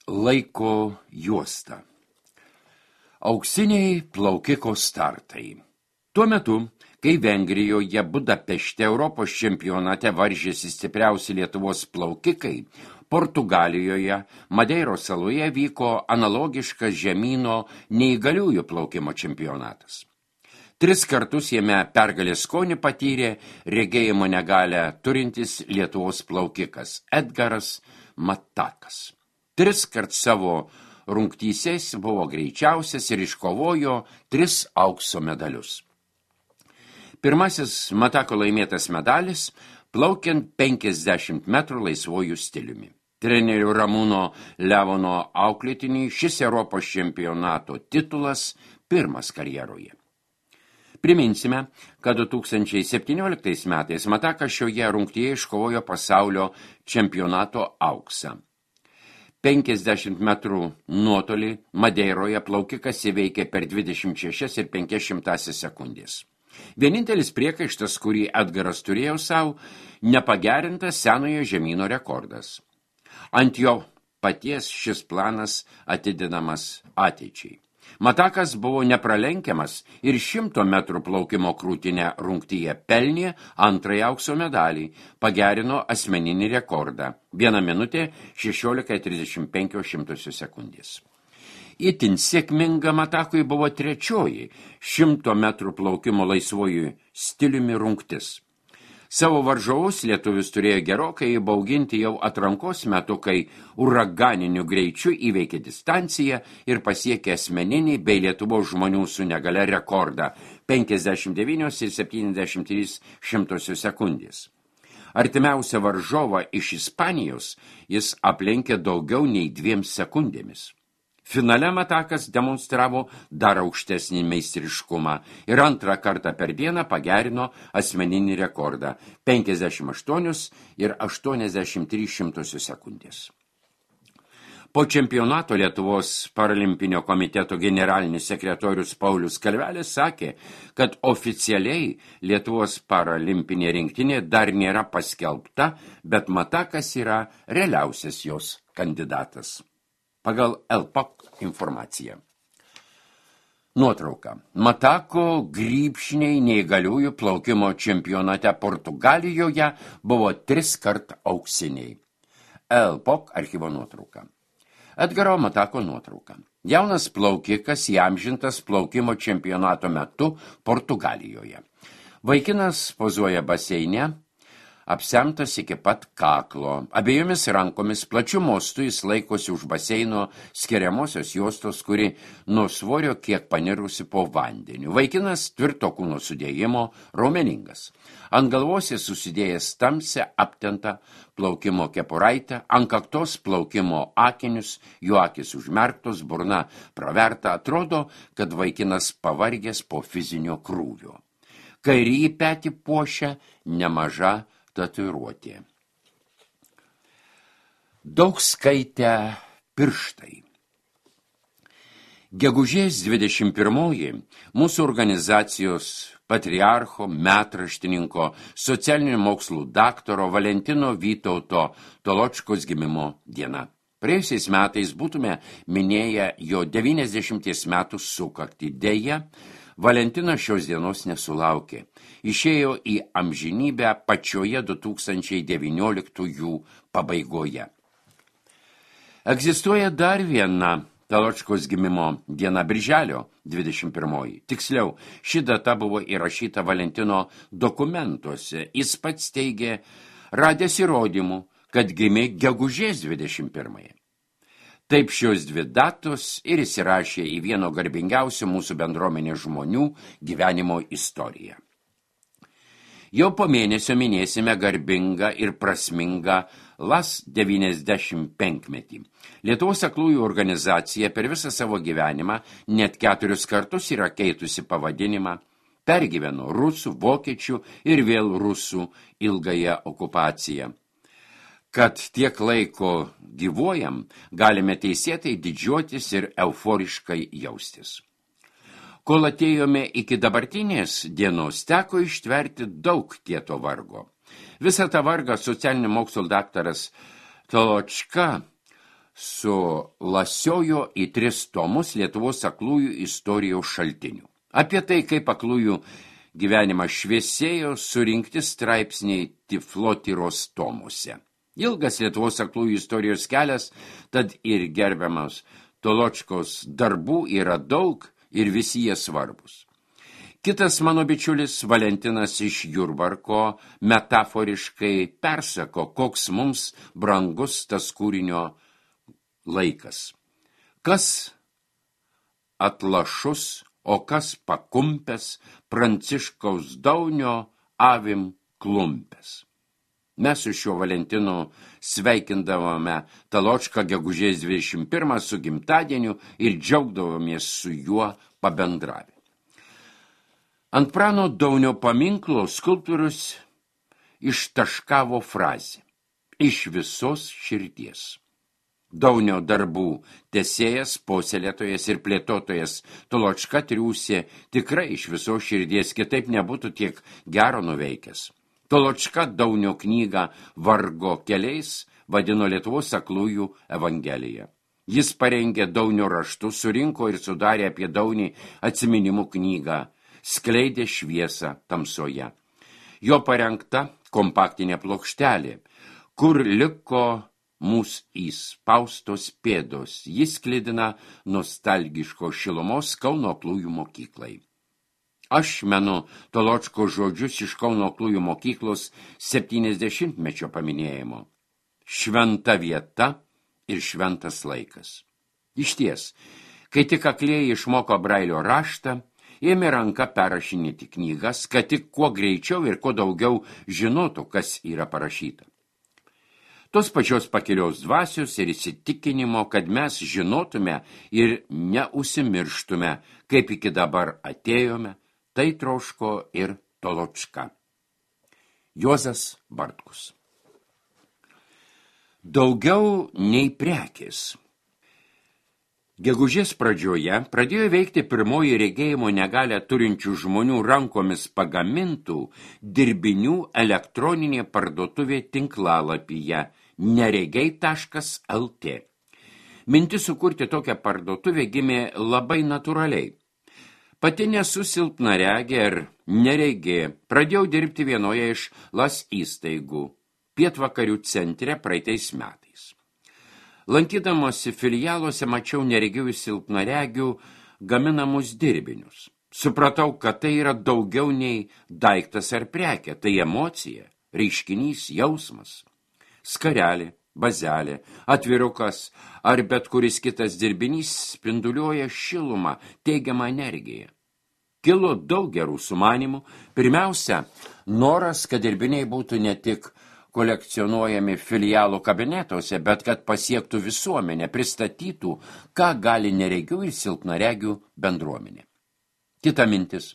Laiko juosta. Auksiniai plaukiko startai. Tuo metu, kai Vengrijoje Budapešte Europos čempionate varžėsi stipriausi Lietuvos plaukikai, Portugalijoje Madeiros saloje vyko analogiškas žemyno neįgaliųjų plaukimo čempionatas. 3 kartus jame pergalės skonį patyrė regėjimo negalią turintis Lietuvos plaukikas Edgaras Matakas. 3 kart savo rungtysės buvo greičiausias ir iškovojo 3 aukso medalius. Pirmasis Matako laimėtas medalis plaukiant 50 metrų laisvojų stiliumi. Trenerių Ramūno Levono auklėtiniui šis Europos čempionato titulas pirmas karjeroje. Priminsime, kad 2017 metais Matakas šioje rungtyje iškovojo pasaulio čempionato auksą. 50 metrų nuotolį Madeiroje plaukikas įveikė per 26 ir 500 sekundės. Vienintelis priekaištas, kurį Edgaras turėjo savo, nepagerintas senojo žemyno rekordas. Ant jo paties šis planas atidinamas ateičiai. Matakas buvo nepralenkiamas ir 100 metrų plaukimo krūtinę rungtyje pelnė antrąjį aukso medalį, pagerino asmeninį rekordą 1 minutė 16,35 sekundės. Itin sėkminga Matakui buvo 3 100 metrų plaukimo laisvojų stiliumi rungtis. Savo varžovus lietuvis turėjo gerokai įbauginti jau atrankos metu, kai uraganiniu greičiu įveikė distanciją ir pasiekė asmeninį bei Lietuvos žmonių su negale rekordą 59,73 sekundės. Artimiausią varžovą iš Ispanijos jis aplenkė daugiau nei 2 sekundėmis. Finale Matakas demonstravo dar aukštesnį meistriškumą ir 2 kartą per dieną pagerino asmeninį rekordą 58,83 sekundės. Po čempionato Lietuvos paralimpinio komiteto generalinis sekretorius Paulius Kalvelis sakė, kad oficialiai Lietuvos paralimpinė rinktinė dar nėra paskelbta, bet Matakas yra realiausias jos kandidatas. Pagal LPOC informaciją. Nuotrauka. Matako grybšniai neįgaliųjų plaukimo čempionate Portugalijoje buvo 3 kart auksiniai. LPOC archyvo nuotrauka. Edgaro Matako nuotrauka. Jaunas plaukikas įamžintas plaukimo čempionato metu Portugalijoje. Vaikinas pozuoja baseine, apsemtas iki pat kaklo. Abiejomis rankomis plačiu mostu jis laikosi už baseino skiriamosios juostos, kuri nuo svorio kiek panirusi po vandeniu. Vaikinas tvirto kūno sudėjimo, raumeningas. Ant galvos jis susidėjęs tamsią aptentą plaukimo kepuraitę, ant kaktos plaukimo akinius, jų akis užmerktos, burna praverta, atrodo, kad vaikinas pavargęs po fizinio krūvio. Kairįjį petį puošia nemaža tatuiruotė. Daug skaitę pirštai. Gegužės 21 mūsų organizacijos patriarcho, metraštininko, socialinių mokslų daktaro Valentino Vytauto Toločkos gimimo diena. Praėjusiais metais būtume minėję jo 90 metų sukaktį. Deja, Valentinas šios dienos nesulaukė. Išėjo į amžinybę pačioje 2019 pabaigoje. Egzistuoja dar viena Toločkos gimimo diena, birželio 21. Tiksliau, ši data buvo įrašyta Valentino dokumentuose. Jis pats teigė, radęs įrodymų, kad gimė gegužės 21. Taip šios 2 datos ir įsirašė į vieno garbingiausių mūsų bendruomenės žmonių gyvenimo istoriją. Jau po mėnesio minėsime garbingą ir prasmingą LAS 95-metį. Lietuvos aklųjų organizacija per visą savo gyvenimą net 4 kartus yra keitusi pavadinimą, pergyveno rusų, vokiečių ir vėl rusų ilgąją okupaciją. Kad tiek laiko gyvuojam, galime teisėtai didžiuotis ir euforiškai jaustis. Kol atėjome iki dabartinės dienos, teko ištverti daug kieto vargo. Visą tą vargą socialinių mokslų daktaras Toločka sulasiojo į 3 tomus Lietuvos aklųjų istorijos šaltinių. Apie tai, kaip aklųjų gyvenimas šviesėjo, surinkti straipsniai Tiflotyros tomuose. Ilgas Lietuvos aklųjų istorijos kelias, tad ir gerbiamas Toločkos darbų yra daug ir visi jie svarbus. Kitas mano bičiulis Valentinas iš Jurbarko metaforiškai persako, koks mums brangus tas kūrinio laikas. Kas atlašus, o kas pakumpęs, Pranciškaus Daunio avim klumpęs. Mes su šiuo Valentinu sveikindavome Taločką gegužės 21 su gimtadieniu ir džiaugdavomės su juo pabendravę. Ant Prano Daunio paminklo skulptorius ištaškavo frazę iš visos širdies. Daunio darbų tesėjas, puoselėtojas ir plėtotojas Toločka triūsė tikrai iš visos širdies, kitaip nebūtų tiek gero nuveikęs. Toločka Daunio knygą Vargo keliais vadino Lietuvos aklųjų evangeliją. Jis parengė Daunio raštus, surinko ir sudarė apie Daunį atsiminimų knygą, skleidė šviesą tamsoje. Jo parengta kompaktinė plokštelė, kur liko mūsų įspaustos pėdos, jis sklidina nostalgiško šilumos Kauno aklųjų mokyklai. Aš menu Toločko žodžius iš Kauno aklųjų mokyklos 70-mečio paminėjimo. Šventa vieta ir šventas laikas. Išties, kai tik aklieji išmoko Brailio raštą, ėmė ranka perrašinėti knygas, kad tik kuo greičiau ir kuo daugiau žinotų, kas yra parašyta. Tos pačios pakilios dvasios ir įsitikinimo, kad mes žinotume ir neusimirštume, kaip iki dabar atėjome, tai troško ir Toločka. Juozas Bartkus. Daugiau nei prekės. Gegužės pradžioje pradėjo veikti pirmoji regėjimo negalią turinčių žmonių rankomis pagamintų dirbinių elektroninė parduotuvė tinklalapyje neregiai.lt. Mintis sukurti tokią parduotuvę gimė labai natūraliai. Pati nesu silpnaregė ir neregė, pradėjau dirbti vienoje iš LAS įstaigų Pietvakarių centre praeitais metais. Lankydamosi filialuose mačiau neregių ir silpnaregių gaminamus dirbinius. Supratau, kad tai yra daugiau nei daiktas ar prekė, tai emocija, reiškinys, jausmas. Skarelė, bazelė, atvirukas ar bet kuris kitas dirbinys spinduliuoja šilumą, teigiamą energiją. Kilo daug gerų sumanimų. Pirmiausia, noras, kad dirbiniai būtų ne tik kolekcionuojami filialų kabinetuose, bet kad pasiektų visuomenę, pristatytų, ką gali neregių ir silpnaregių bendruomenė. Kita mintis.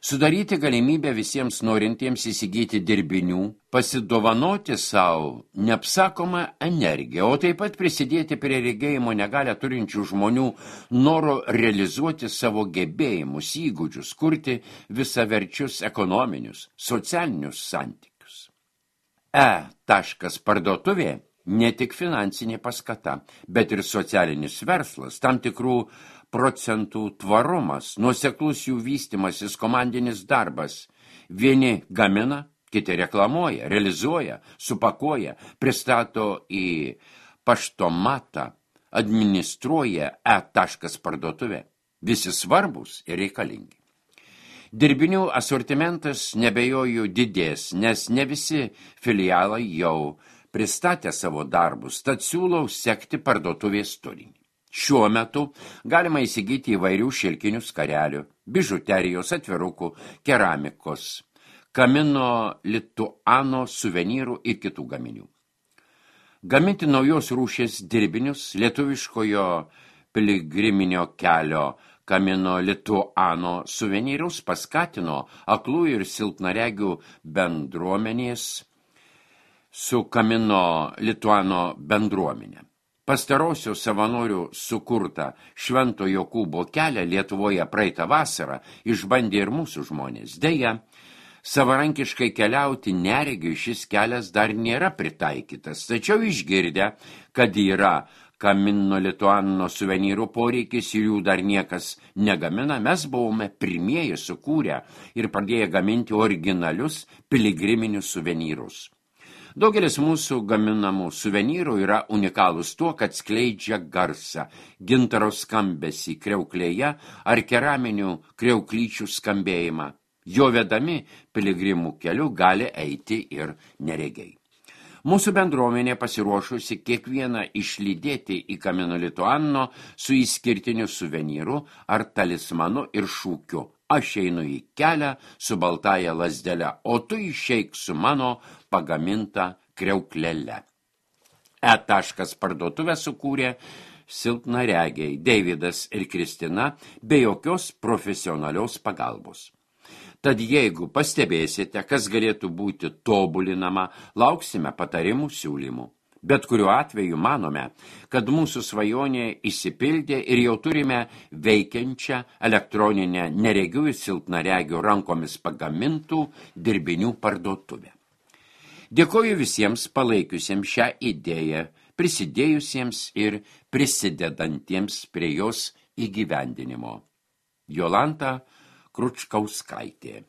Sudaryti galimybę visiems norintiems įsigyti dirbinių, pasidovanoti savo neapsakomą energiją, o taip pat prisidėti prie regėjimo negalią turinčių žmonių noro realizuoti savo gebėjimus, įgūdžius, kurti visaverčius ekonominius, socialinius santykius. Parduotuvė ne tik finansinė paskata, bet ir socialinis verslas, tam tikrų procentų tvarumas, nuoseklus jų vystymasis, komandinis darbas. Vieni gamina, kiti reklamuoja, realizuoja, supakuoja, pristato į paštomatą, administruoja parduotuvę. Visi svarbus ir reikalingi. Dirbinių asortimentas nebejoju didės, nes ne visi filialai jau pristatė savo darbus, tad siūlau sekti parduotuvės turinį. Šiuo metu galima įsigyti įvairių šilkinių skarelių, bižuterijos, atvirukų, keramikos, kamino lituano suvenyrų ir kitų gaminių. Gaminti naujos rūšies dirbinius lietuviškojo piligriminio kelio kamino lituano suvenyrus paskatino aklųjų ir silpnaregių bendruomenės su kamino lituano bendruomenė. Pastarosios savanorių sukurtą Švento Jokūbo kelią Lietuvoje praeitą vasarą išbandė ir mūsų žmonės. Deja, savarankiškai keliauti neregiui šis kelias dar nėra pritaikytas, tačiau išgirdę, kad yra Kamino Lituano suvenyrų poreikis ir jų dar niekas negamina, mes buvome pirmieji sukūrę ir pradėję gaminti originalius piligriminius suvenyrus. Daugelis mūsų gaminamų suvenyrų yra unikalūs tuo, kad skleidžia garsą, gintaro skambesį kriauklėje ar keraminių kriauklyčių skambėjimą. Jo vedami piligrimų keliu gali eiti ir neregiai. Mūsų bendruomenė pasiruošusi kiekvieną išlydėti į Kamino Lituano su išskirtiniu suvenyru ar talismanu ir šūkiu. Aš einu į kelią su baltąja lazdele, o tu išeik su mano pagaminta kriauklele. Parduotuvę sukūrė silpnaregiai Deividas ir Kristina be jokios profesionalios pagalbos. Tad jeigu pastebėsite, kas galėtų būti tobulinama, lauksime patarimų siūlymų. Bet kuriuo atveju manome, kad mūsų svajonė išsipildė ir jau turime veikiančią elektroninę neregių ir silpnaregių rankomis pagamintų dirbinių parduotuvę. Dėkoju visiems palaikiusiems šią idėją, prisidėjusiems ir prisidedantiems prie jos įgyvendinimo. Jolanta Kručkauskaitė.